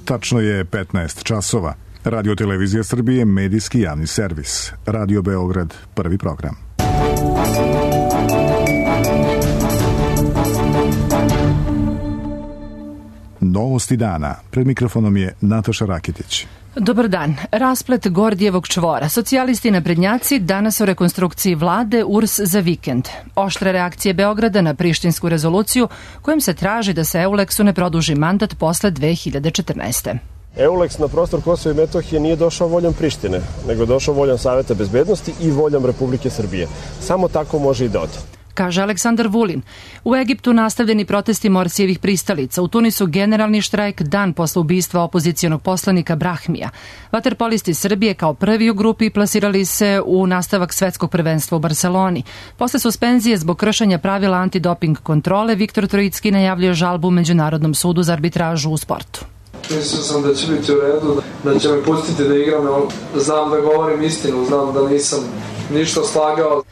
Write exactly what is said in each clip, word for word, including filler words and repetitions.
Tačno je petnaest časova. Radio Televizija Srbije, medijski javni servis. Radio Beograd, prvi program. Novosti dana. Pred mikrofonom je Nataša Rakitić. Dobar dan. Rasplet Gordijevog čvora. Socijalisti i naprednjaci danas o rekonstrukciji vlade U R S za vikend. Oštre reakcije Beograda na prištinsku rezoluciju kojim se traži da se Euleksu ne produži mandat posle dve hiljade četrnaeste. Euleks na prostor Kosova i Metohije nije došao voljom Prištine, nego došao voljom Saveta bezbednosti i voljom Republike Srbije. Samo tako može i da ode, kaže Aleksandar Vulin. U Egiptu nastavljeni protesti Morsijevih pristalica. U Tunisu generalni štrajk dan posle ubistva opozicijonog poslanika Brahmija. Vaterpolisti Srbije kao prvi u grupi plasirali se u nastavak svetskog prvenstva u Barseloni. Posle suspenzije zbog kršenja pravila antidoping kontrole, Viktor Trojicki najavljuje žalbu Međunarodnom sudu za arbitražu u sportu. Mislio sam da će biti u redu, da će me pustiti da igram, znam da govorim istinu, znam da nisam ništa slagao.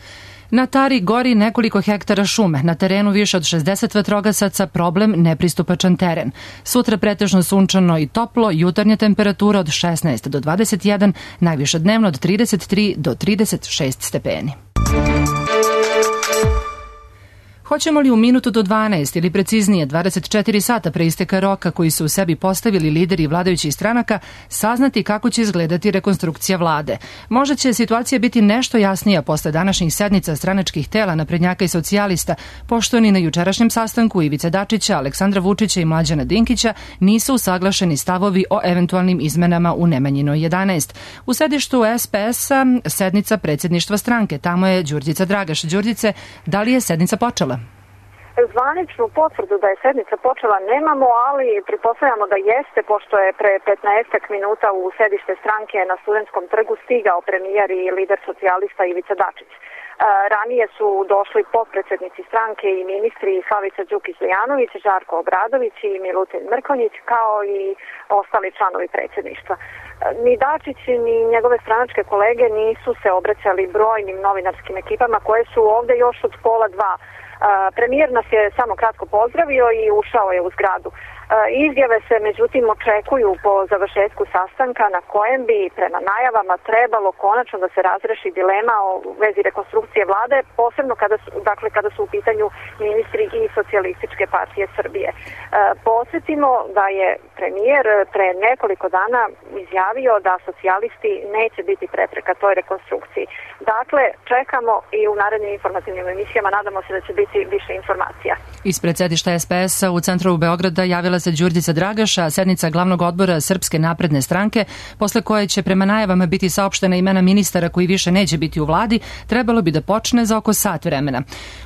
Na Tari gori nekoliko hektara šume, na terenu više od šezdeset vatrogasaca, problem nepristupačan teren. Sutra pretežno sunčano i toplo, jutarnja temperatura od šesnaest do dvadeset jedan, najviše dnevno od trideset tri do trideset šest stepeni. Hoćemo li u minutu do dvanaest ili preciznije dvadeset četiri sata pre isteka roka koji su u sebi postavili lideri vladajućih stranaka saznati kako će izgledati rekonstrukcija vlade? Možda će situacija biti nešto jasnija posle današnjih sednica stranačkih tela naprednjaka i socijalista, pošto ni na jučerašnjem sastanku Ivice Dačića, Aleksandra Vučića i Mlađana Dinkića nisu usaglašeni stavovi o eventualnim izmenama u Nemanjinoj jedanaest. U sedištu S P S-a sednica predsjedništva stranke, tamo je Đurđica Dragaš. Đurđice, da li je sednica počela? Zvaničnu potvrdu da je sednica počela nemamo, ali pretpostavljamo da jeste, pošto je pre petnaestak minuta u sedište stranke na Studentskom trgu stigao premijer i lider socijalista Ivica Dačić. Ranije su došli potpredsednici stranke i ministri Slavica Đukić-Dejanović, Žarko Obradović i Milutin Mrkonjić, kao i ostali članovi predsjedništva. Ni Dačić ni njegove stranačke kolege nisu se obraćali brojnim novinarskim ekipama koje su ovde još od pola dva. Premijer nas je samo kratko pozdravio i ušao je u zgradu. Izjave se međutim očekuju po završetku sastanka na kojem bi prema najavama trebalo konačno da se razreši dilema o vezi rekonstrukcije vlade, posebno kada su, dakle, kada su u pitanju ministri i Socijalističke partije Srbije. Podsjetimo da je premijer pre nekoliko dana izjavio da socijalisti neće biti prepreka toj rekonstrukciji. Dakle, čekamo i u narednim informativnim emisijama nadamo se da će biti više informacija. Ispred sedišta S P S-a u centru Beograda javila se Đurđica Dragaša, sednica glavnog odbora Srpske napredne stranke, posle koje će prema najavama biti saopštena imena ministara koji više neće biti u vladi, trebalo bi da počne za oko sat vremena.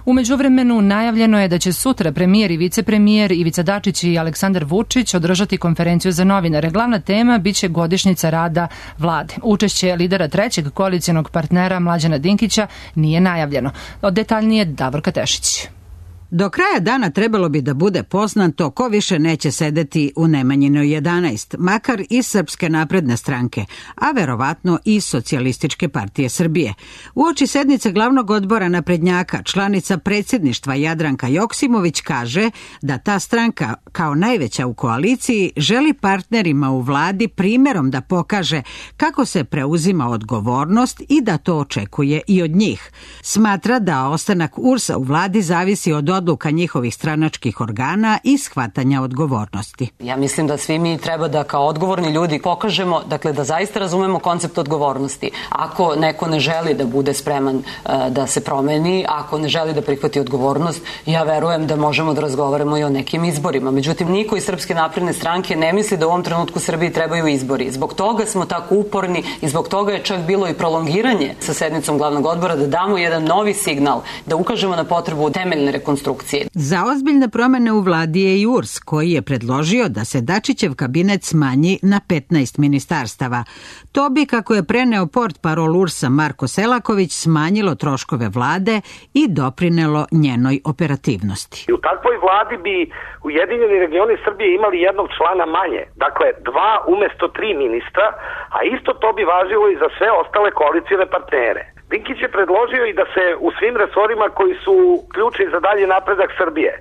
U međuvremenu najavljeno je da će sutra premijer i vicepremijer Ivica Dačić i Aleksandar Vučić održati konferenciju za novinare. Glavna tema biće godišnjica rada vlade. Učešće lidera trećeg koalicijonog partnera Mlađana Dinkića nije najavljeno. Detaljnije Davorka Tešić. Do kraja dana trebalo bi da bude poznato ko više neće sedeti u Nemanjinoj jedanaest, makar iz Srpske napredne stranke, a verovatno i Socijalističke partije Srbije. Uoči sednice glavnog odbora naprednjaka, članica predsjedništva Jadranka Joksimović kaže da ta stranka, kao najveća u koaliciji, želi partnerima u vladi primjerom da pokaže kako se preuzima odgovornost i da to očekuje i od njih. Smatra da ostanak U R S-a u vladi zavisi od odluka njihovih stranačkih organa i shvatanja odgovornosti. Ja mislim da svi mi treba da kao odgovorni ljudi pokažemo, dakle da zaista razumemo koncept odgovornosti. Ako neko ne želi da bude spreman uh, da se promeni, ako ne želi da prihvati odgovornost, ja verujem da možemo da razgovaramo i o nekim izborima. Međutim, niko iz Srpske napredne stranke ne misli da u ovom trenutku Srbiji trebaju izbori. Zbog toga smo tako uporni i zbog toga je čak bilo i prolongiranje sa sednicom glavnog odbora da damo jedan novi signal, da ukažemo na potrebu temeljne rekonstrukcije. Za ozbiljne promene u vladi je i U R S, koji je predložio da se Dačićev kabinet smanji na petnaest ministarstava. To bi, kako je preneo portparol U R S-a Marko Selaković, smanjilo troškove vlade i doprinelo njenoj operativnosti. I u takvoj vladi bi Ujedinjeni regioni Srbije imali jednog člana manje, dakle dva umesto tri ministra, a isto to bi važilo i za sve ostale koalicijne partnere. Dinkić je predložio i da se u svim resorima koji su ključni za dalji napredak Srbije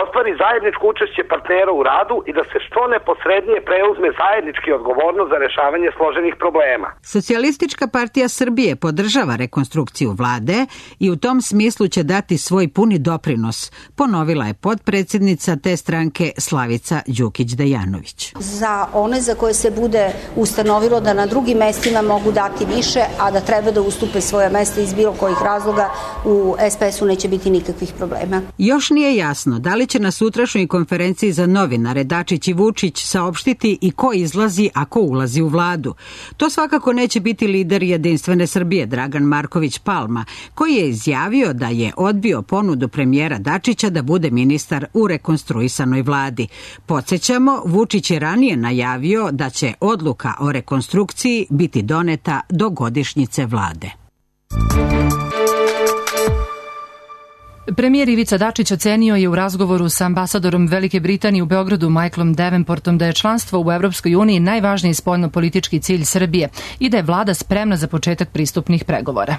ostvari zajedničko učešće partnera u radu i da se što neposrednije preuzme zajednički odgovornost za rešavanje složenih problema. Socijalistička partija Srbije podržava rekonstrukciju vlade i u tom smislu će dati svoj puni doprinos, ponovila je potpredsednica te stranke Slavica Đukić-Dejanović. Za one za koje se bude ustanovilo da na drugim mestima mogu dati više, a da treba da ustupe svoja mesta iz bilo kojih razloga, u es pe esu neće biti nikakvih problema. Još nije jasno da li će na sutrašnjoj konferenciji za novinare Dačić i Vučić saopštiti i ko izlazi, a ko ulazi u vladu. To svakako neće biti lider Jedinstvene Srbije Dragan Marković Palma, koji je izjavio da je odbio ponudu premijera Dačića da bude ministar u rekonstruisanoj vladi. Podsjećamo, Vučić je ranije najavio da će odluka o rekonstrukciji biti doneta do godišnjice vlade. Premijer Ivica Dačić ocenio je u razgovoru sa ambasadorom Velike Britanije u Beogradu Michaelom Davenportom da je članstvo u Evropskoj uniji najvažniji spoljnopolitički cilj Srbije i da je vlada spremna za početak pristupnih pregovora.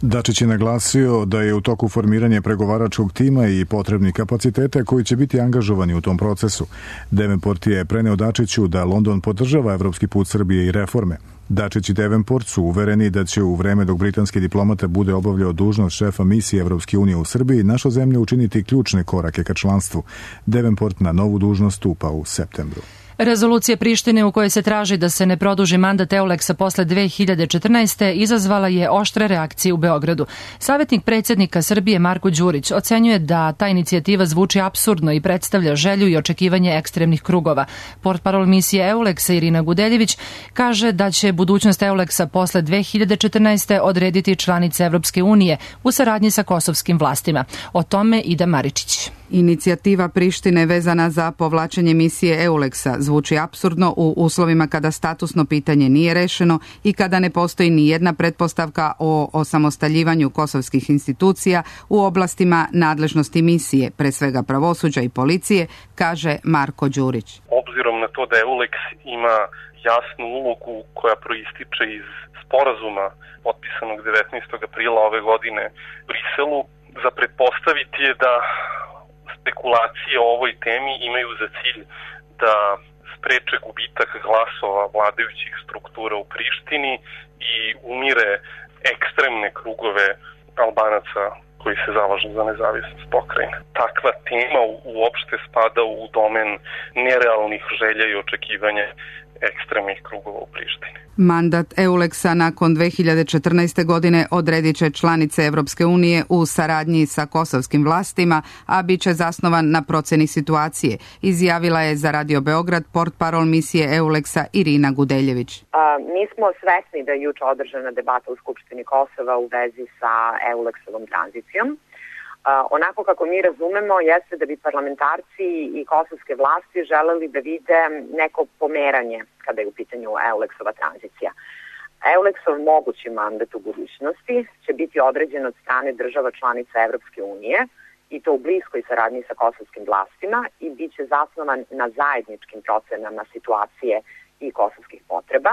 Dačić je naglasio da je u toku formiranja pregovaračkog tima i potrebnih kapaciteta koji će biti angažovani u tom procesu. Davenport je preneo Dačiću da London podržava evropski put Srbije i reforme. Dačić i Davenport su uvereni da će u vreme dok britanski diplomata bude obavljao dužnost šefa misije Evropske unije u Srbiji naša zemlja učiniti ključne korake ka članstvu. Davenport na novu dužnost stupa u septembru. Rezolucija Prištine u kojoj se traži da se ne produži mandat Euleksa posle dve hiljade četrnaeste. izazvala je oštre reakcije u Beogradu. Savjetnik predsjednika Srbije Marko Đurić ocenjuje da ta inicijativa zvuči apsurdno i predstavlja želju i očekivanje ekstremnih krugova. Portparol misije Euleksa Irina Gudeljević kaže da će budućnost Euleksa posle dve hiljade četrnaeste. odrediti članice Evropske unije u saradnji sa kosovskim vlastima. O tome Ida Maričić. Inicijativa Prištine vezana za povlačenje misije Euleksa zvuči apsurdno u uslovima kada statusno pitanje nije rešeno i kada ne postoji ni jedna pretpostavka o osamostaljivanju kosovskih institucija u oblastima nadležnosti misije, pre svega pravosuđa i policije, kaže Marko Đurić. Obzirom na to da Euleks ima jasnu ulogu koja proističe iz sporazuma potpisanog devetnaestog aprila ove godine u Briselu, za pretpostaviti je da spekulacije o ovoj temi imaju za cilj da spreče gubitak glasova vladajućih struktura u Prištini i umire ekstremne krugove Albanaca koji se zalažu za nezavisnost pokrajine. Takva tema uopšte spada u domen nerealnih želja i očekivanja ekstremnih krugova u Prištini. Mandat Euleksa nakon dve hiljade četrnaeste. godine odredit će članice Evropske unije u saradnji sa kosovskim vlastima, a bit će zasnovan na proceni situacije, izjavila je za Radio Beograd portparol misije Euleksa Irina Gudeljević. A, mi smo svesni da je juče održana debata u Skupštini Kosova u vezi sa Euleksovom tranzicijom. Uh, onako kako mi razumemo jeste da bi parlamentarci i kosovske vlasti želeli da vide neko pomeranje kada je u pitanju Euleksova tranzicija. Euleksov mogući mandat u budućnosti će biti određen od strane država članica Evropske unije i to u bliskoj saradnji sa kosovskim vlastima i bit će zasnovan na zajedničkim procenama situacije i kosovskih potreba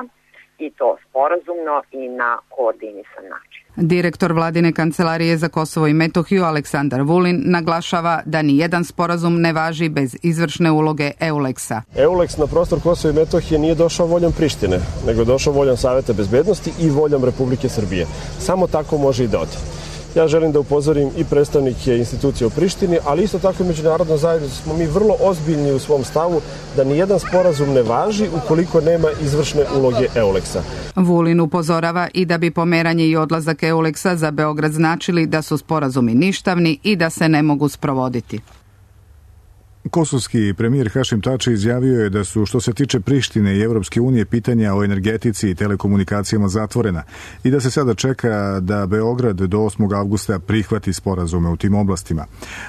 i to sporazumno i na koordinisan način. Direktor vladine kancelarije za Kosovo i Metohiju Aleksandar Vulin naglašava da ni jedan sporazum ne važi bez izvršne uloge Euleksa. Euleks na prostor Kosova i Metohije nije došao voljom Prištine, nego je došao voljom Saveta bezbednosti i voljom Republike Srbije. Samo tako može i da ode. Ja želim da upozorim i predstavnike institucije u Prištini, ali isto tako i međunarodno zajednicu smo mi vrlo ozbiljni u svom stavu da nijedan sporazum ne važi ukoliko nema izvršne uloge Euleksa. Vulin upozorava i da bi pomeranje i odlazak Euleksa za Beograd značili da su sporazumi ništavni i da se ne mogu sprovoditi. Kosovski premijer Hašim Tači izjavio je da su, što se tiče Prištine i Evropske unije, pitanja o energetici i telekomunikacijama zatvorena i da se sada čeka da Beograd do osmog avgusta prihvati sporazume u tim oblastima.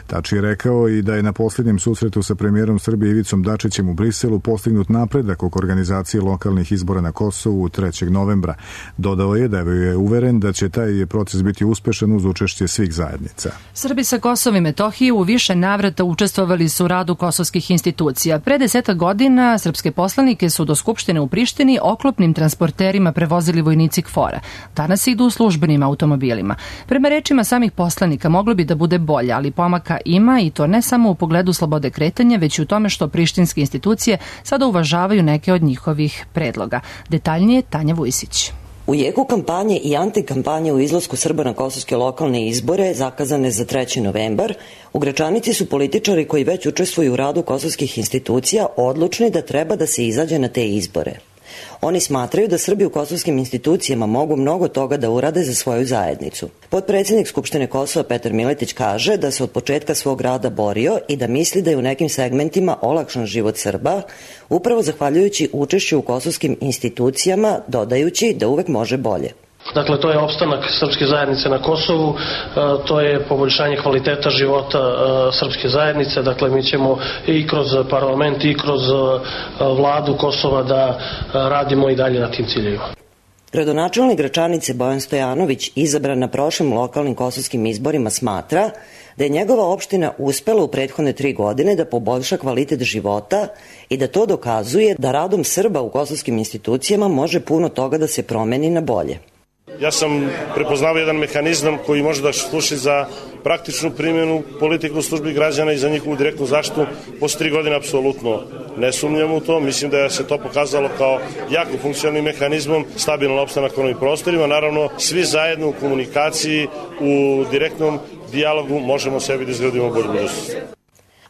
Tači je rekao i da je na posljednjem susretu sa premijerom Srbije Ivicom Dačićem u Briselu postignut napredak oko organizacije lokalnih izbora na Kosovu trećeg novembra. Dodao je da je uveren da će taj proces biti uspešan uz učešće svih zajednica. Srbi sa Kosova i Metohije u više navrata učestvovali su radu kosovskih institucija. Pre deseta godina srpske poslanike su do Skupštine u Prištini oklopnim transporterima prevozili vojnici KFOR-a. Danas idu u službenim automobilima. Prema rečima samih poslanika moglo bi da bude bolje, ali pomaka ima i to ne samo u pogledu slobode kretanja, već i u tome što prištinske institucije sada uvažavaju neke od njihovih predloga. Detaljnije Tanja Vujsić. U jeku kampanje i antikampanje u izlasku Srba na kosovske lokalne izbore, zakazane za treći novembar, u Gračanici su političari koji već učestvuju u radu kosovskih institucija odlučni da treba da se izađe na te izbore. Oni smatraju da Srbi u kosovskim institucijama mogu mnogo toga da urade za svoju zajednicu. Potpredsjednik Skupštine Kosova Petar Miletić kaže da se od početka svog rada borio i da misli da je u nekim segmentima olakšan život Srba, upravo zahvaljujući učešću u kosovskim institucijama, dodajući da uvek može bolje. Dakle, to je opstanak srpske zajednice na Kosovu, to je poboljšanje kvaliteta života srpske zajednice, dakle mi ćemo i kroz parlament i kroz vladu Kosova da radimo i dalje na tim ciljevima. Gradonačelnik Gračanice Bojan Stojanović, izabran na prošlim lokalnim kosovskim izborima, smatra da je njegova opština uspela u prethodne tri godine da poboljša kvalitet života i da to dokazuje da radom Srba u kosovskim institucijama može puno toga da se promeni na bolje. Ja sam prepoznao jedan mehanizam koji može da služi za praktičnu primjenu politike u službi građana i za njihovu direktnu zaštitu. Posle tri godine apsolutno ne sumnjam u to. Mislim da je se to pokazalo kao jako funkcionalnim mehanizmom, stabilan opstanak na ovim prostorima. Naravno, svi zajedno u komunikaciji, u direktnom dijalogu možemo sebi da izgradimo bolju budućnost.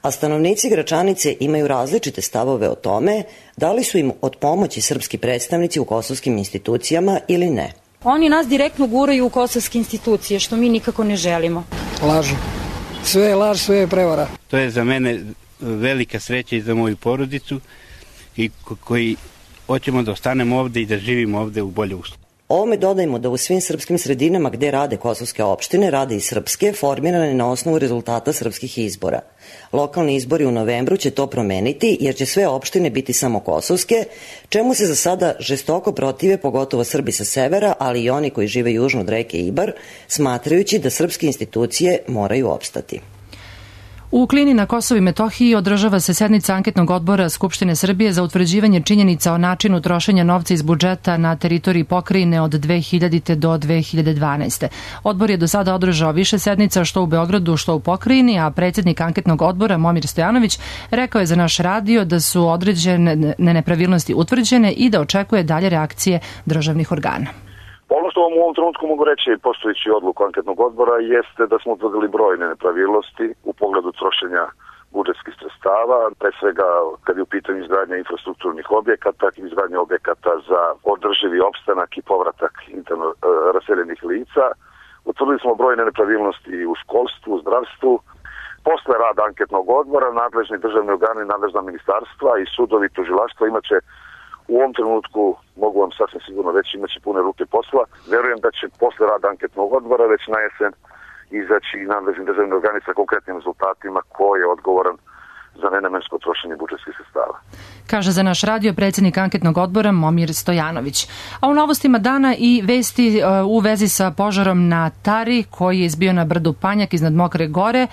A stanovnici Gračanice imaju različite stavove o tome da li su im od pomoći srpski predstavnici u kosovskim institucijama ili ne. Oni nas direktno guraju u kosovske institucije, što mi nikako ne želimo. Lažu. Sve je laž, sve je prevara. To je za mene velika sreća i za moju porodicu i koji hoćemo da ostanemo ovde i da živimo ovde u bolje uslovi. Ovome dodajmo da u svim srpskim sredinama gde rade kosovske opštine, rade i srpske, formirane na osnovu rezultata srpskih izbora. Lokalni izbori u novembru će to promeniti jer će sve opštine biti samo kosovske, čemu se za sada žestoko protive pogotovo Srbi sa severa, ali i oni koji žive južno od reke Ibar, smatrajući da srpske institucije moraju opstati. U Klini na Kosovu i Metohiji održava se sednica anketnog odbora Skupštine Srbije za utvrđivanje činjenica o načinu trošenja novca iz budžeta na teritoriji pokrajine od dve hiljadite do dve hiljade dvanaeste. Odbor je do sada održao više sednica što u Beogradu, što u pokrajini, a predsjednik anketnog odbora Momir Stojanović rekao je za naš radio da su određene nepravilnosti utvrđene i da očekuje dalje reakcije državnih organa. Ono što vam u ovom trenutku mogu reći, postojeći odluku anketnog odbora, jeste da smo utvrdili brojne nepravilnosti u pogledu trošenja budžetskih sredstava, pre svega kad je u pitanju izgradnja infrastrukturnih objekata, izgradnja objekata za održivi opstanak i povratak interno e, raseljenih lica. Utvrdili smo brojne nepravilnosti u školstvu, u zdravstvu. Posle rada anketnog odbora, nadležni državni organi, nadležna ministarstva i sudovi i tužilaštva imaće u ovom trenutku, mogu vam sasvim sigurno reći, imaće pune ruke posla. Verujem da će posle rada anketnog odbora već na jesen izaći i nadležni državni organi sa konkretnim rezultatima ko je odgovoran za nenamensko trošenje budžetskih sredstava. Kaže za naš radio predsjednik anketnog odbora Momir Stojanović. A u novostima dana i vesti u vezi sa požarom na Tari koji je izbio na brdu Panjak iznad Mokre Gore.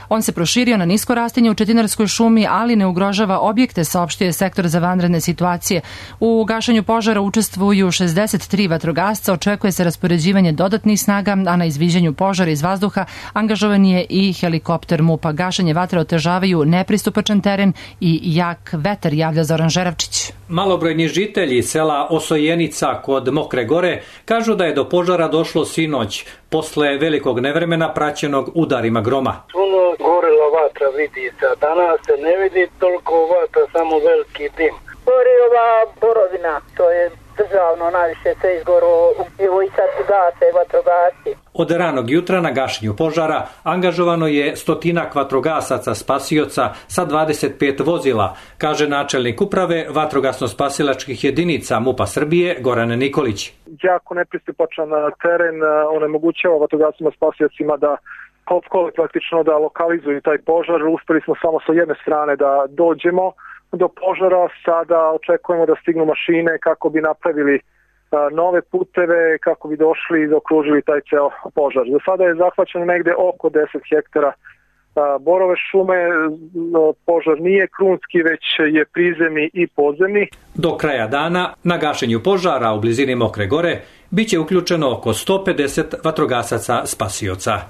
On se proširio na nisko rastinje u Četinarskoj šumi, ali ne ugrožava objekte, saopštio je sektor za vanredne situacije. U gašenju požara učestvuju šezdeset tri vatrogasca, očekuje se raspoređivanje dodatnih snaga, a na izviđanju požara iz vazduha angažovan je i helikopter MUP-a. Gašenje vatre otežavaju nepristupačan teren i jak vetar, javlja Zoran Žeravčić. Malobrojni žitelji sela Osojenica kod Mokre Gore kažu da je do požara došlo sinoć, posle velikog nevremena praćenog udarima groma. Puno gorila vatra vidi se, danas se ne vidi toliko vatra, samo veliki dim. Gori ova borovina, to je državno, najviše se izgoro, evo i sad gase vatrogasci. Od ranog jutra na gašenju požara angažovano je stotinak vatrogasaca spasioca sa dvadeset pet vozila, kaže načelnik uprave vatrogasno-spasilačkih jedinica MUP-a Srbije Goran Nikolić. Jako nepristupačan teren onemogućava vatrogascima spasiocima da opkole praktično da lokalizuju taj požar. Uspeli smo samo sa jedne strane da dođemo do požara, sada očekujemo da stignu mašine kako bi napravili nove puteve, kako bi došli i okružili taj ceo požar. Do sada je zahvaćeno negde oko deset hektara borove šume. Požar nije krunski, već je prizemni i podzemni. Do kraja dana na gašenju požara u blizini Mokre Gore biće uključeno oko sto pedeset vatrogasaca spasioca.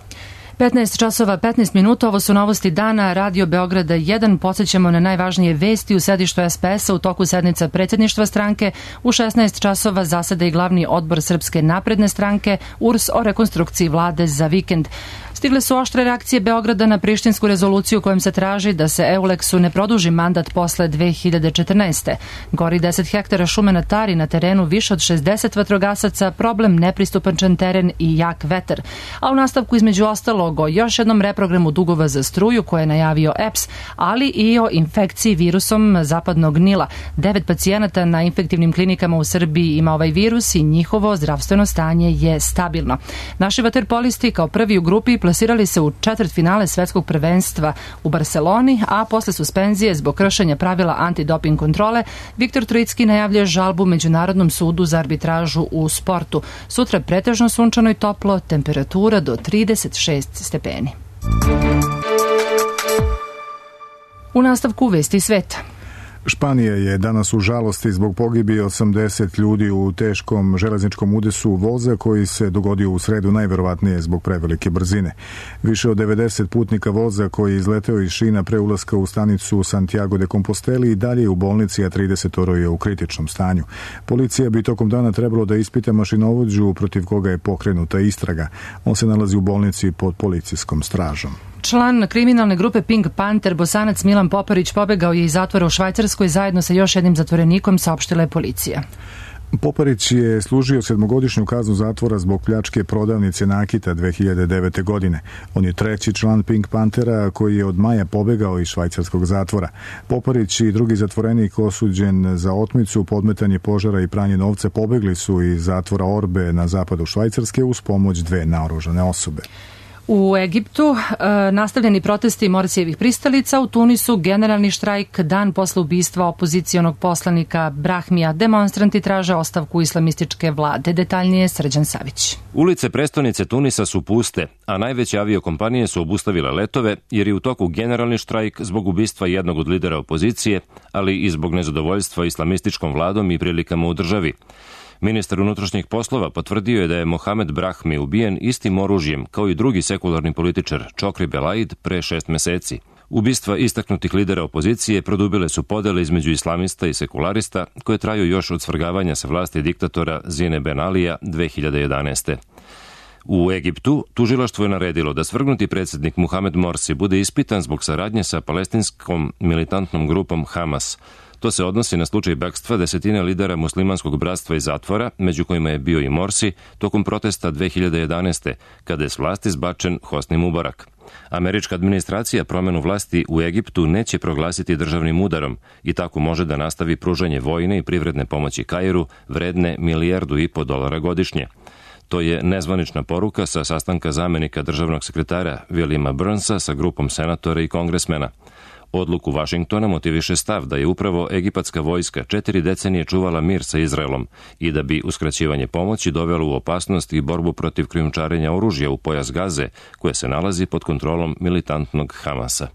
petnaest časova petnaest minuta, ovo su novosti dana, Radio Beograda jedan, podsjećamo na najvažnije vesti u sedištu es pe es a u toku sednica predsjedništva stranke. U šesnaest časova zaseda i glavni odbor Srpske napredne stranke, U R S o rekonstrukciji vlade za vikend. Stigle su oštre reakcije Beograda na prištinsku rezoluciju kojom se traži da se Euleksu ne produži mandat posle dve hiljade četrnaeste. Gori deset hektara šume na Tari, na terenu više od šezdeset vatrogasaca, problem nepristupačan teren i jak vetar. A u nastavku između ostalog o još jednom reprogramu dugova za struju koje je najavio E P S, ali i o infekciji virusom zapadnog Nila. Devet pacijenata na infektivnim klinikama u Srbiji ima ovaj virus i njihovo zdravstveno stanje je stabilno. Naši vaterpolisti kao prvi u grupi plasirali se u četvrtfinale svetskog prvenstva u Barseloni, a posle suspenzije zbog kršenja pravila antidoping kontrole, Viktor Trojicki najavljuje žalbu Međunarodnom sudu za arbitražu u sportu. Sutra pretežno sunčano i toplo, temperatura do trideset šest stepeni. U nastavku vesti sveta. Španija je danas u žalosti zbog pogibije osamdeset ljudi u teškom železničkom udesu voza koji se dogodio u sredu, najverovatnije zbog prevelike brzine. Više od devedeset putnika voza koji je izleteo iz šina pre ulaska u stanicu Santiago de Compostela i dalje u bolnici, a trideset je u kritičnom stanju. Policija bi tokom dana trebalo da ispita mašinovođu protiv koga je pokrenuta istraga. On se nalazi u bolnici pod policijskom stražom. Član kriminalne grupe Pink Panther, Bosanac Milan Poparić, pobegao je iz zatvora u Švajcarskoj zajedno sa još jednim zatvorenikom, saopštila je policija. Poparić je služio sedmogodišnju kaznu zatvora zbog pljačke prodavnice nakita dve hiljade devete. godine. On je treći član Pink Panthera koji je od maja pobegao iz švajcarskog zatvora. Poparić i drugi zatvorenik osuđen za otmicu, podmetanje požara i pranje novca pobegli su iz zatvora Orbe na zapadu Švajcarske uz pomoć dve naoružane osobe. U Egiptu e, nastavljeni protesti Morsijevih pristalica, u Tunisu generalni štrajk dan posle ubistva opozicionog poslanika Brahmija. Demonstranti traže ostavku islamističke vlade. Detaljnije Srđan Savić. Ulice prestonice Tunisa su puste, a najveće aviokompanije su obustavile letove jer je u toku generalni štrajk zbog ubistva jednog od lidera opozicije, ali i zbog nezadovoljstva islamističkom vladom i prilikama u državi. Ministar unutrašnjih poslova potvrdio je da je Mohamed Brahmi ubijen istim oružjem kao i drugi sekularni političar Čokri Belaid pre šest meseci. Ubistva istaknutih lidera opozicije produbile su podele između islamista i sekularista koje traju još od svrgavanja sa vlasti diktatora Zine Ben Alija dve hiljade jedanaeste. U Egiptu tužilaštvo je naredilo da svrgnuti predsjednik Muhamed Morsi bude ispitan zbog saradnje sa palestinskom militantnom grupom Hamas. To se odnosi na slučaj bekstva desetine lidera muslimanskog bratstva iz zatvora, među kojima je bio i Morsi, tokom protesta dve hiljade jedanaeste. kada je s vlasti zbačen Hosni Mubarak. Američka administracija promenu vlasti u Egiptu neće proglasiti državnim udarom i tako može da nastavi pružanje vojne i privredne pomoći Kairu vredne milijardu i po dolara godišnje. To je nezvanična poruka sa sastanka zamenika državnog sekretara Williama Burnsa sa grupom senatora i kongresmena. Odluku Vašingtona motiviše stav da je upravo egipatska vojska četiri decenije čuvala mir sa Izraelom i da bi uskraćivanje pomoći dovelo u opasnost i borbu protiv krijumčarenja oružja u pojas Gaze, koje se nalazi pod kontrolom militantnog Hamasa.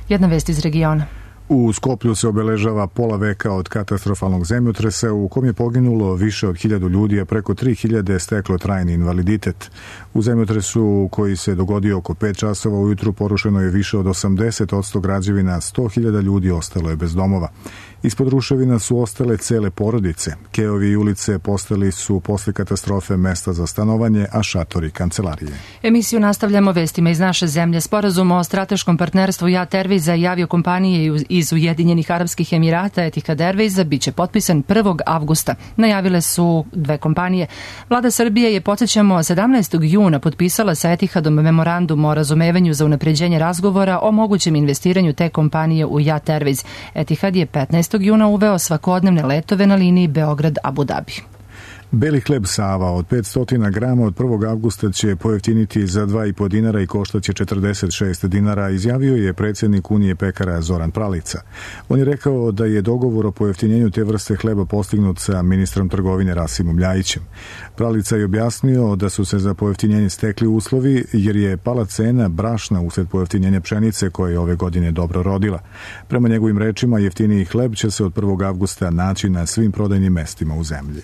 Jedna vest iz regiona. U Skoplju se obeležava pola veka od katastrofalnog zemljotresa u kom je poginulo više od hiljadu ljudi, a preko tri hiljade steklo trajni invaliditet. U zemljotresu koji se dogodio oko pet časova ujutru porušeno je više od osamdeset posto građevina, sto hiljada ljudi ostalo je bez domova. Ispod ruševina su ostale cele porodice. Keovi i ulice postali su posle katastrofe mesta za stanovanje, a šatori kancelarije. Emisiju nastavljamo vestima iz naše zemlje. Sporazum o strateškom partnerstvu Jat Airwaysa i aviokompanije iz Ujedinjenih Arapskih Emirata Etihad Airwaysa biće potpisan prvog avgusta. Najavile su dve kompanije. Vlada Srbije je, podsjećamo, sedamnaestog juna potpisala sa Etihadom memorandum o razumevanju za unapređenje razgovora o mogućem investiranju te kompanije u Jat Airways. Etihad je petnaestog juna uveo svakodnevne letove na liniji Beograd-Abu Dhabi. Beli hleb Sava od petsto grama od prvog avgusta će pojeftiniti za dva i po dinara i koštaće četrdeset šest dinara, izjavio je predsjednik Unije pekara Zoran Pralica. On je rekao da je dogovor o pojeftinjenju te vrste hleba postignut sa ministrom trgovine Rasimom Ljajićem. Pralica je objasnio da su se za pojeftinjenje stekli uslovi jer je pala cena brašna usled pojeftinjenja pšenice koja je ove godine dobro rodila. Prema njegovim rečima, jeftiniji hleb će se od prvog avgusta naći na svim prodajnim mestima u zemlji.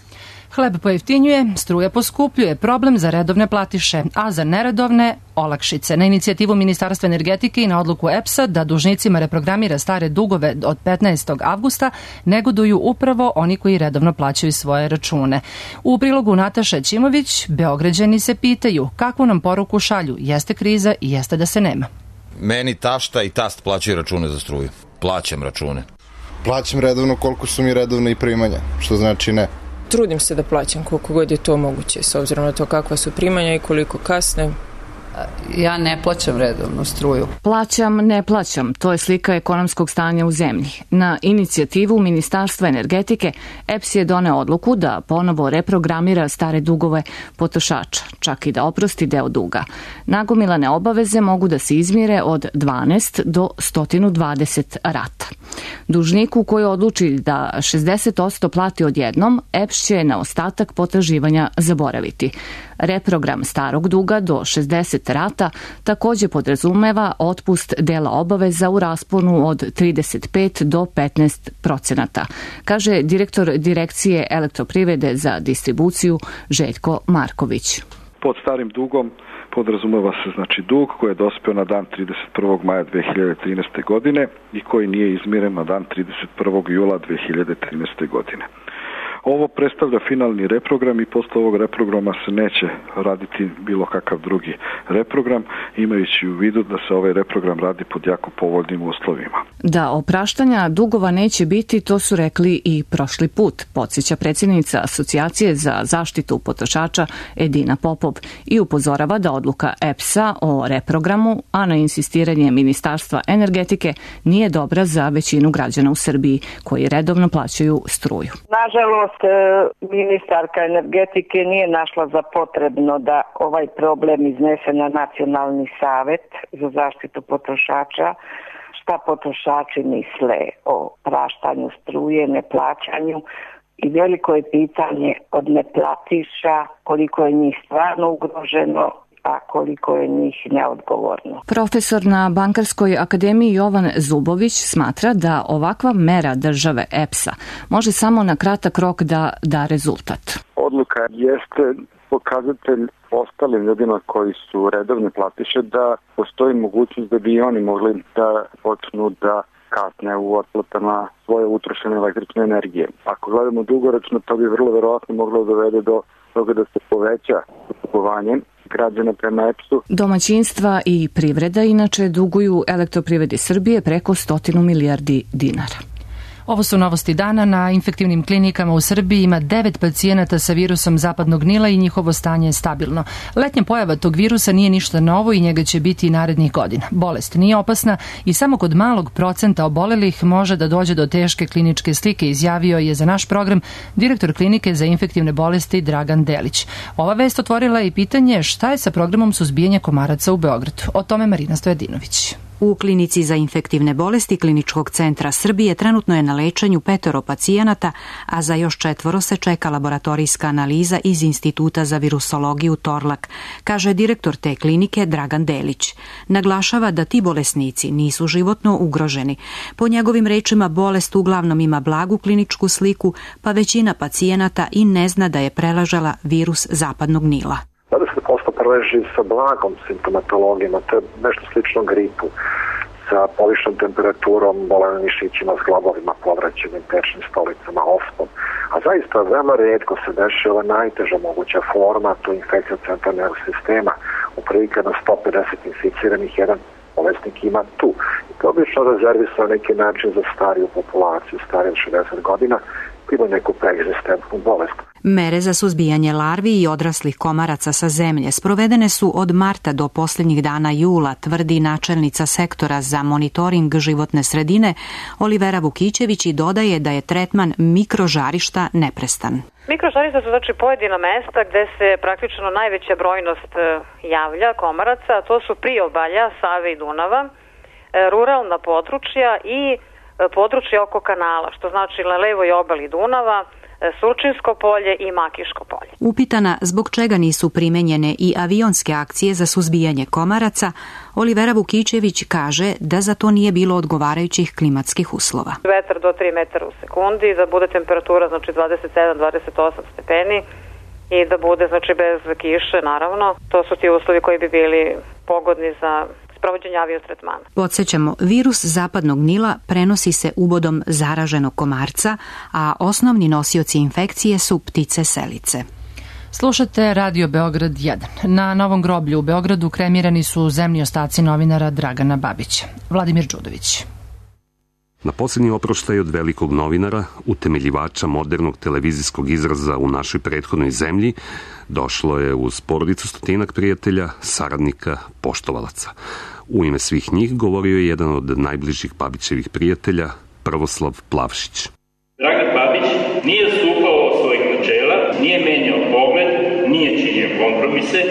Hleb pojeftinjuje, struja poskupljuje, problem za redovne platiše, a za neredovne olakšice. Na inicijativu Ministarstva energetike i na odluku E P S-a da dužnicima reprogramira stare dugove od petnaestog avgusta negoduju upravo oni koji redovno plaćaju svoje račune. U prilogu Nataša Ćimović, Beograđani se pitaju kakvu nam poruku šalju, jeste kriza i jeste da se nema. Meni tašta i tast plaćaju račune za struju. Plaćam račune. Plaćam redovno koliko su mi redovne i primanja, što znači ne. Trudim se da plaćam koliko god je to moguće, s obzirom na to kakva su primanja i koliko kasne. Ja ne plaćam redovno struju. Plaćam, ne plaćam. To je slika ekonomskog stanja u zemlji. Na inicijativu Ministarstva energetike E P S je doneo odluku da ponovo reprogramira stare dugove potrošača, čak i da oprosti deo duga. Nagomilane obaveze mogu da se izmire od dvanaest do sto dvadeset rata. Dužniku koji odluči da šezdeset posto plati odjednom, E P S će na ostatak potraživanja zaboraviti. Reprogram starog duga do šezdeset rata takođe podrazumeva otpust dela obaveza u rasponu od trideset pet do petnaest procenata, kaže direktor Direkcije elektroprivrede za distribuciju Željko Marković. Pod starim dugom podrazumeva se znači dug koji je dospeo na dan trideset prvog maja dve hiljade trinaeste. godine i koji nije izmiren na dan trideset prvog jula dve hiljade trinaeste. godine. Ovo predstavlja finalni reprogram i posle ovog reprograma se neće raditi bilo kakav drugi reprogram, imajući u vidu da se ovaj reprogram radi pod jako povoljnim uslovima. Da opraštanja dugova neće biti, to su rekli i prošli put, podsjeća predsjednica Asocijacije za zaštitu potrošača Edina Popov i upozorava da odluka E P S-a o reprogramu, a na insistiranje Ministarstva energetike, nije dobra za većinu građana u Srbiji koji redovno plaćaju struju. Nažalost, ministarka energetike nije našla za potrebno da ovaj problem iznese na Nacionalni savet za zaštitu potrošača. Šta potrošači misle o praštanju struje, neplaćanju i veliko je pitanje od neplatiša koliko je njih stvarno ugroženo, a koliko je njih neodgovorno. Profesor na Bankarskoj akademiji Jovan Zubović smatra da ovakva mera države E P S-a može samo na kratak rok da da rezultat. Odluka jeste pokazatelj ostalim ljudima koji su redovne platiše da postoji mogućnost da bi i oni mogli da počnu da kasne u otplatama svoje utrošene električne energije. Ako gledamo dugoročno, to bi vrlo verovatno moglo dovede do toga da se poveća kupovanje građana prema E P S-u. Domaćinstva i privreda inače duguju Elektroprivredi Srbije preko stotinu milijardi dinara. Ovo su novosti dana. Na infektivnim klinikama u Srbiji ima devet pacijenata sa virusom zapadnog Nila i njihovo stanje je stabilno. Letnja pojava tog virusa nije ništa novo i njega će biti i narednih godina. Bolest nije opasna i samo kod malog procenta obolelih može da dođe do teške kliničke slike, izjavio je za naš program direktor klinike za infektivne bolesti Dragan Delić. Ova vest otvorila je i pitanje šta je sa programom suzbijanja komaraca u Beogradu. O tome Marina Stojadinović. U klinici za infektivne bolesti Kliničkog centra Srbije trenutno je na lečenju petoro pacijenata, a za još četvoro se čeka laboratorijska analiza iz Instituta za virusologiju Torlak, kaže direktor te klinike Dragan Delić. Naglašava da ti bolesnici nisu životno ugroženi. Po njegovim rečima bolest uglavnom ima blagu kliničku sliku, pa većina pacijenata i ne zna da je preležala virus zapadnog Nila. dvadeset posto preleži sa blagom simptomatologijama, to je nešto slično gripu, sa povišenom temperaturom, bolenim mišićima, zglobovima, povraćenim pečnim stolicama, ospom. A zaista veoma retko se dešava najteža moguća forma, to je infekcija centralnog nervnog sistema. Upravo na sto pedeset inficiranih jedan bolesnik ima tu. I to obično rezervisa na neki način za stariju populaciju, stariju od šezdeset godina, ima neku preegzistentnu bolest. Mere za suzbijanje larvi i odraslih komaraca sa zemlje sprovedene su od marta do posljednjih dana jula, tvrdi načelnica sektora za monitoring životne sredine Olivera Vukićević i dodaje da je tretman mikrožarišta neprestan. Mikrožarišta su znači pojedina mesta gde se praktično najveća brojnost javlja komaraca, a to su priobalja Save i Dunava, ruralna područja i područje oko kanala, što znači na levoj obali Dunava, Surčinsko polje i Makiško polje. Upitana zbog čega nisu primenjene i avionske akcije za suzbijanje komaraca, Olivera Vukićević kaže da za to nije bilo odgovarajućih klimatskih uslova. Vetar do tri metara u sekundi, da bude temperatura znači dvadeset sedam do dvadeset osam stepeni i da bude znači bez kiše naravno. To su ti uslovi koji bi bili pogodni za sprovođenje aviotretmana. Podsjećamo, virus zapadnog Nila prenosi se ubodom zaraženog komarca, a osnovni nosioci infekcije su ptice selice. Slušate Radio Beograd jedan. Na Novom groblju u Beogradu kremirani su zemlji ostaci novinara Dragana Babića. Vladimir Đudović. Na posljednji oproštaj od velikog novinara, utemeljivača modernog televizijskog izraza u našoj prethodnoj zemlji, došlo je uz porodicu stotinak prijatelja, saradnika, poštovalaca. U ime svih njih govorio je jedan od najbližih Babićevih prijatelja, Prvoslav Plavšić. Dragan Babić nije odstupao od svojih načela, nije menjao pogled, nije činio kompromise,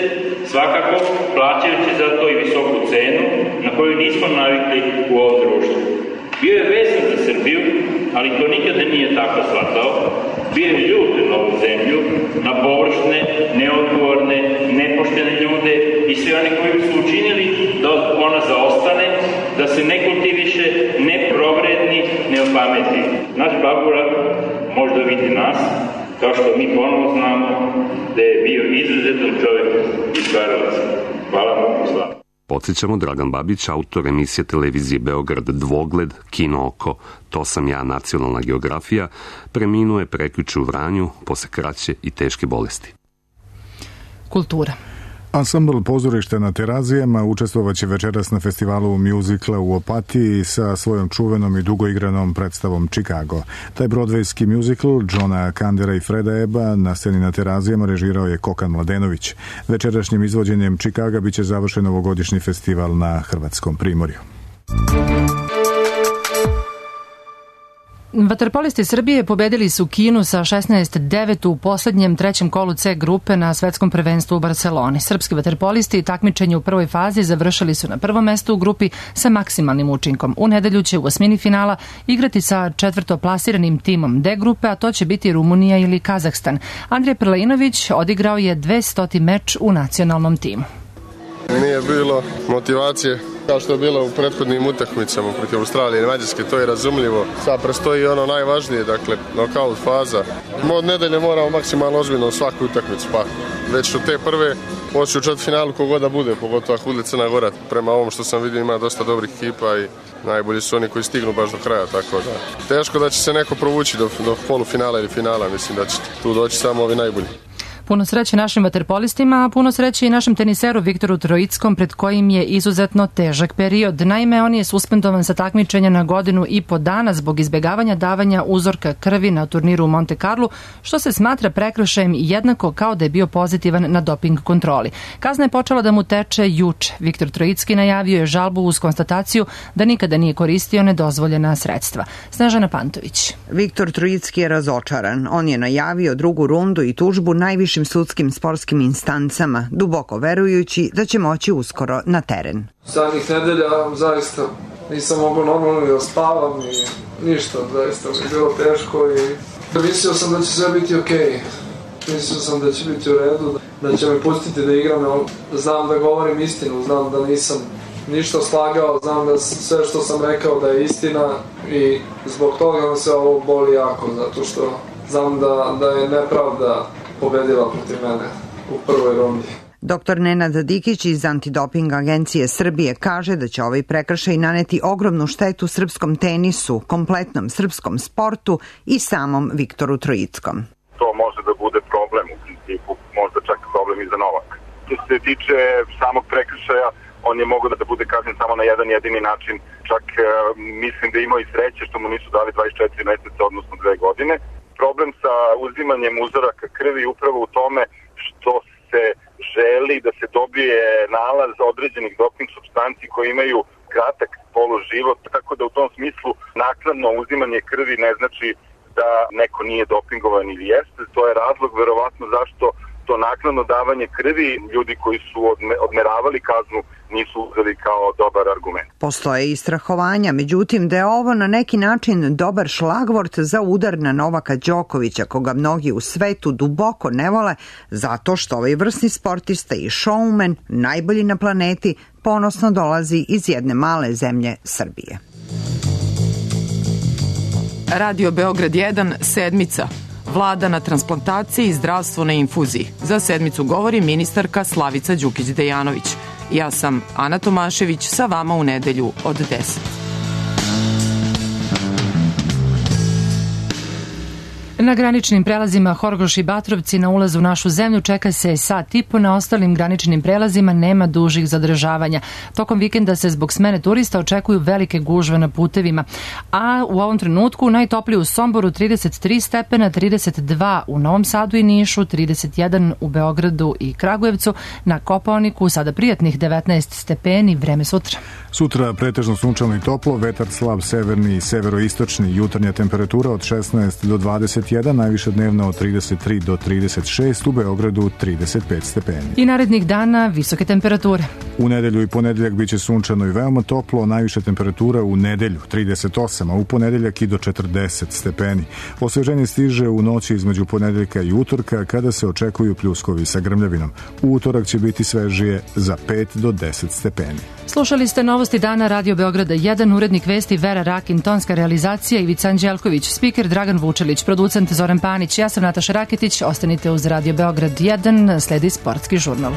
svakako plaćajući za to i visoku cenu na koju nismo navikli u ovom društvu. Bio je vezan za Srbiju, ali to nikada nije tako shvatao. Bio je ljud na ovu zemlju, na površne, neodgovorne, nepoštene ljude i sve one koji su učinili da ona zaostane, da se ne kultiviše, ne provredni, ne opameti. Naš Babura možda vidi nas, kao što mi ponovo znamo da je bio izuzetan čovjek iz Karlovaca. Hvala mu u slavu. Podsjećamo, Dragan Babić, autor emisije televizije Beograd Dvogled, Kino oko, To sam ja, nacionalna geografija, preminuo je prekjuče u Vranju posle kraće i teške bolesti. Kultura. Ansambl Pozorište na Terazijama učestvovaće večeras na festivalu mjuzikla u Opatiji sa svojom čuvenom i dugoigranom predstavom Chicago. Taj brodvejski mjuzikl Johna Kandera i Freda Eba na sceni na Terazijama režirao je Kokan Mladenović. Večerašnjim izvođenjem Chicaga biće završen ovogodišnji festival na Hrvatskom primorju. Vaterpolisti Srbije pobedili su Kinu sa šesnaest devet u poslednjem trećem kolu C grupe na svetskom prvenstvu u Barceloni. Srpski vaterpolisti takmičenje u prvoj fazi završili su na prvom mestu u grupi sa maksimalnim učinkom. U nedelju će u osmini finala igrati sa četvrtoplasiranim timom D grupe, a to će biti Rumunija ili Kazahstan. Andrej Prlinović odigrao je dvestoti meč u nacionalnom timu. Nije bilo motivacije kao što je bilo u prethodnim utakmicama protiv Australije i Mađarske, to je razumljivo. Sad prestoji ono najvažnije, dakle, nokaut faza. Od nedelje moramo maksimalno ozbiljno svaku utakmicu, pa već od te prve moći u četvrtfinalu kogod da bude, pogotovo ako bude Crna Gora. Prema ovom što sam vidio ima dosta dobrih ekipa i najbolji su oni koji stignu baš do kraja, tako da teško da će se neko provući do, do polufinala ili finala, mislim da će tu doći samo ovi najbolji. Puno sreće našim vaterpolistima, a puno sreće i našem teniseru Viktoru Trojickom, pred kojim je izuzetno težak period. Naime, on je suspendovan sa takmičenja na godinu i po dana zbog izbjegavanja davanja uzorka krvi na turniru u Monte Carlo, što se smatra prekršajem jednako kao da je bio pozitivan na doping kontroli. Kazna je počela da mu teče juče. Viktor Trojicki najavio je žalbu uz konstataciju da nikada nije koristio nedozvoljena sredstva. Snežana Pantović. Viktor Trojicki je razočaran. On je najavio drugu rundu i tužbu najviše sudskim sportskim instancama, duboko verujući da će moći uskoro na teren. Zadnjih nedelja zaista nisam mogao normalno da spavam i ništa, zaista mi je bilo teško i mislio sam da će sve biti okej. Mislio sam da će biti u redu, da će me pustiti da igram, znam da govorim istinu, znam da nisam ništa slagao, znam da sve što sam rekao da je istina i zbog toga me se ovo boli jako, zato što znam da, da je nepravda pobedila protiv mene u prvoj rundi. Doktor Nenad Dikić iz Antidoping agencije Srbije kaže da će ovaj prekršaj naneti ogromnu štetu srpskom tenisu, kompletnom srpskom sportu i samom Viktoru Trojickom. To može da bude problem, u principu možda čak problem i za Novak. Što se tiče samog prekršaja, on je mogao da bude kažnjen samo na jedan jedini način, čak uh, mislim da je imao i sreće što mu nisu dali dvadeset četiri meseca, odnosno dve godine. problem sa uzimanjem uzoraka krvi upravo u tome što se želi da se dobije nalaz određenih doping supstanci koji imaju kratak poluživot, tako da u tom smislu naknadno uzimanje krvi ne znači da neko nije dopingovan ili jeste. To je razlog verovatno zašto to naknadno davanje krvi ljudi koji su odmeravali kaznu nisu uzeli kao dobar argument. Postoje i strahovanja, međutim da je ovo na neki način dobar šlagvort za udar na Novaka Đokovića, koga mnogi u svetu duboko ne vole, zato što ovaj vrsni sportista i showman, najbolji na planeti, ponosno dolazi iz jedne male zemlje Srbije. Radio Beograd jedan, sedmica. Vlada na transplantaciji i zdravstvo na infuziji. Za sedmicu govori ministarka Slavica Đukić-Dejanović. Ja sam Ana Tomašević, sa vama u nedelju od deset. Na graničnim prelazima Horgoš i Batrovci na ulazu u našu zemlju čeka se sat i po, na ostalim graničnim prelazima nema dužih zadržavanja. Tokom vikenda se zbog smene turista očekuju velike gužve na putevima, a u ovom trenutku najtoplije u Somboru trideset tri stepena, trideset dva u Novom Sadu i Nišu, trideset jedan u Beogradu i Kragujevcu, na Kopaoniku sada prijatnih devetnaest stepeni, vreme sutra. Sutra pretežno sunčano i toplo, vetar slab severni i severoistočni, jutarnja temperatura od šesnaest do dvadeset jedan, najviša dnevna od trideset tri do trideset šest, u Beogradu trideset pet stepeni. I narednih dana visoke temperature. U nedelju i ponedeljak biće sunčano i veoma toplo, najviša temperatura u nedelju trideset osam, a u ponedeljak i do četrdeset stepeni. Osveženje stiže u noći između ponedeljka i utorka, kada se očekuju pljuskovi sa grmljavinom. U utorak će biti svežije za pet do deset stepeni. Slušali ste novosti dana Radio Beograda jedan, urednik vesti Vera Rakin, tonska realizacija Ivica Anđelković, spiker Dragan Vučelić, producent Zoran Panić, ja sam Nataša Raketić, ostanite uz Radio Beograd jedan, sledi sportski žurnal.